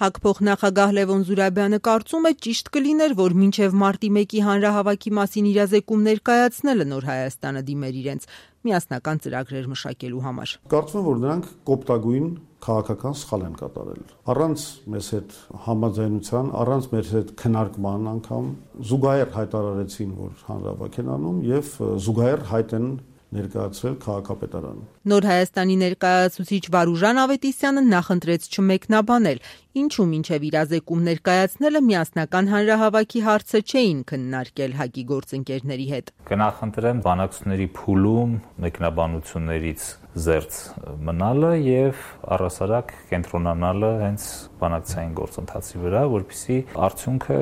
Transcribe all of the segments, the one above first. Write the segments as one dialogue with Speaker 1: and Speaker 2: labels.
Speaker 1: ՀԱԿ փոխնախագահ Լևոն Զուրաբյանը կարծում է ճիշտ կլիներ, որ մինչև մարտի 1-ի հանրահավաքի մասին իրազեկում ներկայացնելը Նոր Հայաստանը դիմեր իրենց միասնական ծրագրեր մշակելու համար։
Speaker 2: Կարծում եմ, որ նրանք կոպտագույն քաղաքական սխալ են կատարել։ Առանց մեզ հետ համաձայնության, առանց մեր հետ քննարկման անգամ զուգահեռ հայտարարեցին, որ հանրահավաք են անում եւ զուգահեռ հայտ են ներկայացրել քաղաքապետարանը։
Speaker 1: Նոր Հայաստանի ներկայացուցիչ Վարուժան Ավետիսյանը նախընտրեց չմեկնաբանել, ինչու մինչև իրազեկում ներկայացնելը միասնական հանրահավաքի հարցը չէին քննարկել ՀԱԿ-ի գործընկերների հետ։
Speaker 3: Կնախընտրեմ բանակցությունների փուլում մեկնաբանություններից զերծ մնալը եւ առհասարակ կենտրոնանալը հենց բանակցային գործընթացի վրա, որպեսզի արդյունքը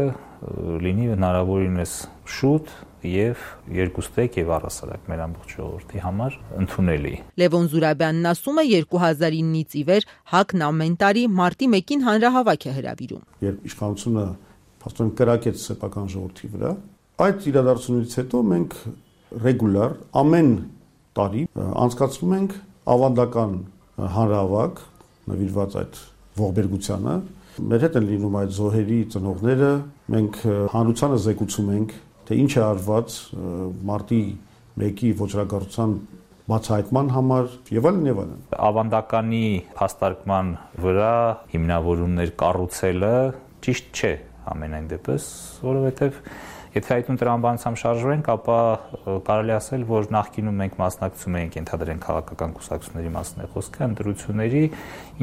Speaker 3: լինի հնարավորինս շուտ եւ երկուստեք եւ առհասարակ մեր ամբողջ ժողովրդի համար ընդունելի։
Speaker 1: Լևոն Զուրաբյանն ասում է 2009-ից ի վեր ՀԱԿ-ն ամեն տարի մարտի 1-ին հանրահավաք է հրավիրում։
Speaker 2: Երբ իշխանությունը փաստորեն կրակեց սեփական ժողովրդի վրա, այդ իրադարձությունից հետո մենք ռեգուլար ամեն տարի անցկացնում ենք ավանդական հանրահավաք նվիրված այդ ողբերգությանը։ Մեր հետ են լինում այդ զոհերի ծնողները, մենք հանրությանը զեկուցում ենք, թե ինչ է արված մարտի 1-ի ոչրագործության բացահայտման համար եւ այլն եւ այլն։
Speaker 3: Ավանդականի փաստարկման վրա հիմնավորումներ կառուցելը ճիշտ չէ ամենայն դեպս, որովհետեւ եթե այդ տրամաբանությամբ շարժվենք, ապա կարելի ասել, որ նախկինում մենք մասնակցում էինք ենթադրենք քաղաքական կուսակցությունների մասին է խոսքը, ընտրությունների,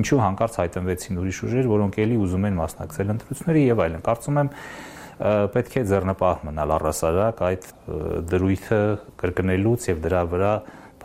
Speaker 3: ինչու հանկարծ հայտնվեցին ուրիշ ուժեր, որոնք էլի ուզում են մասնակցել ընտրությունների եւ այլն։ Կարծում եմ պետք է ձեռնպահ մնալ առհասարակ այդ դրույթը կրկնելուց եւ դրա վրա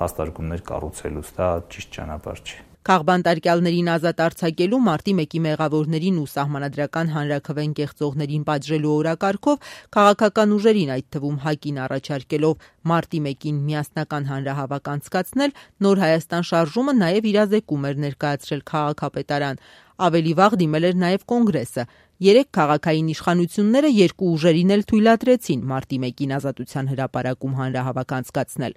Speaker 3: փաստարկումներ կառուցելուց, դա ճիշտ ճանապարհ չէ։
Speaker 1: Քաղբանտարկյալներին ազատ արձակելու մարտի 1-ի մեղավորներին ու սահմանադրական հանրաքվեն կեղծողներին պատժելու օրակարգով քաղաքական ուժերին, այդ թվում ՀԱԿ-ին առաջարկելով մարտի 1-ին միասնական հանրահավաք անցկացնել, Նոր Հայաստան շարժումը նաև իրազեկում էր ներկայացրել քաղաքապետարան։ Ավելի վաղ դիմել էր նաև Կոնգրեսը։ 3 քաղաքային իշխանությունները երկու ուժերին էլ թույլատրեցին մարտի 1-ին Ազատության հրապարակում հանրահավաք անցկացնել։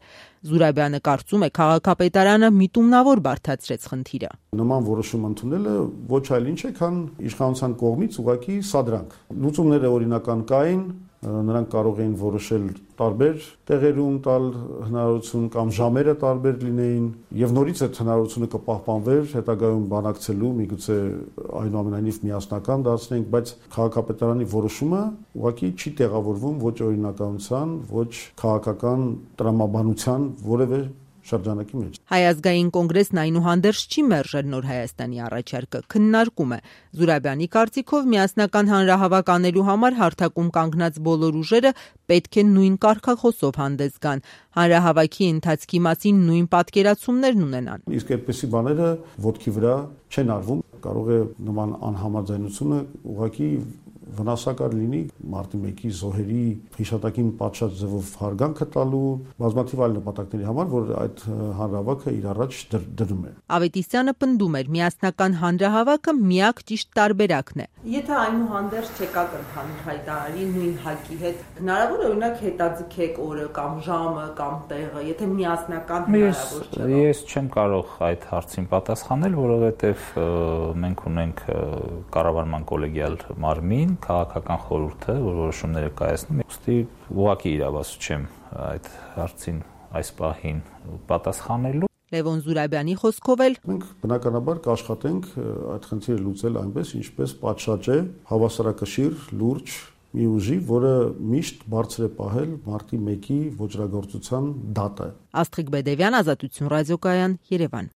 Speaker 1: Զուրաբյանը կարծում է, քաղաքապետարանը միտումնավոր բարդացրեց խնդիրը։
Speaker 2: Նման որոշում ընդունելը ոչ այլ ինչ է, քան իշխանության կողմից ուղղակի սադրանք։ Լուծումները օրինական կային, նրանք կարող էին որոշել տարբեր տեղերում տալ հնարավորություն կամ ժամերը տարբեր լինեին եւ նորից այդ հնարավորությունը կպահպանվեր հետագայում բանակցելու, միգուցե այնուամենայնիվ միասնական դարձնենք, բայց քաղաքապետարանի որոշումը ուղղակի չի տեղավորվում ոչ օրինականության, ոչ քաղաքական տրամաբանության որևէ շրջանակի մեջ։
Speaker 1: Հայ ազգային կոնգրեսն այնուհանդերձ չի մերժել Նոր Հայաստանի առաջարկը, քննարկում է։ Զուրաբյանի կարծիքով միասնական հանրահավաք անելու համար հարթակում կանգնած բոլոր ուժերը պետք է նույն կարգախոսով հանդես գան, հանրահավաքի ընթացքի մասին նույն պատկերացումներն ունենան։
Speaker 2: Իսկ այդպիսի բաները ոտքի վրա չեն արվում, կարող է նման անհամաձայնությունը ուղղակի վնասակար լինի մարտի 1-ի զոհերի հիշատակին պատշաճ ձևով հարգանքը տալու բազմաթիվ այլ նպատակների համար, որ այդ հանրահավաքը իր առաջ դնում է։
Speaker 1: Ավետիսյանը պնդում էր, միասնական հանրահավաքը միակ ճիշտ տարբերակն է։ Եթե այնուհանդերձ չեկաք ընդհանուր հայտարարի նույն ՀԱԿ-ի հետ, հնարավոր է օրինակ հետաձգեք օրը կամ ժամը կամ տեղը, եթե միասնական հնարավոր չէ։
Speaker 3: Ես չեմ կարող այդ հարցին պատասխանել, որովհետև մենք ունենք կառավարման կոլեգիալ մարմին, քաղաքական խորհուրդը, որ որոշումները կայացնում, ուստի ուղղակի իրավասու չեմ այդ հարցին այս պահին պատասխանելու։
Speaker 1: Լևոն Զուրաբյանի խոսքով էլ
Speaker 2: մենք բնականաբար կաշխատենք այդ խնդիրը լուծել այնպես, ինչպես պատշաճ է, հավասարակշիռ, լուրջ մի ուժի, որը միշտ բարձր է պահել մարտի 1-ի ոճրագործության դատը։
Speaker 1: Աստղիկ Բեդևյան, Ազատություն ռադիոկայան, Երևան։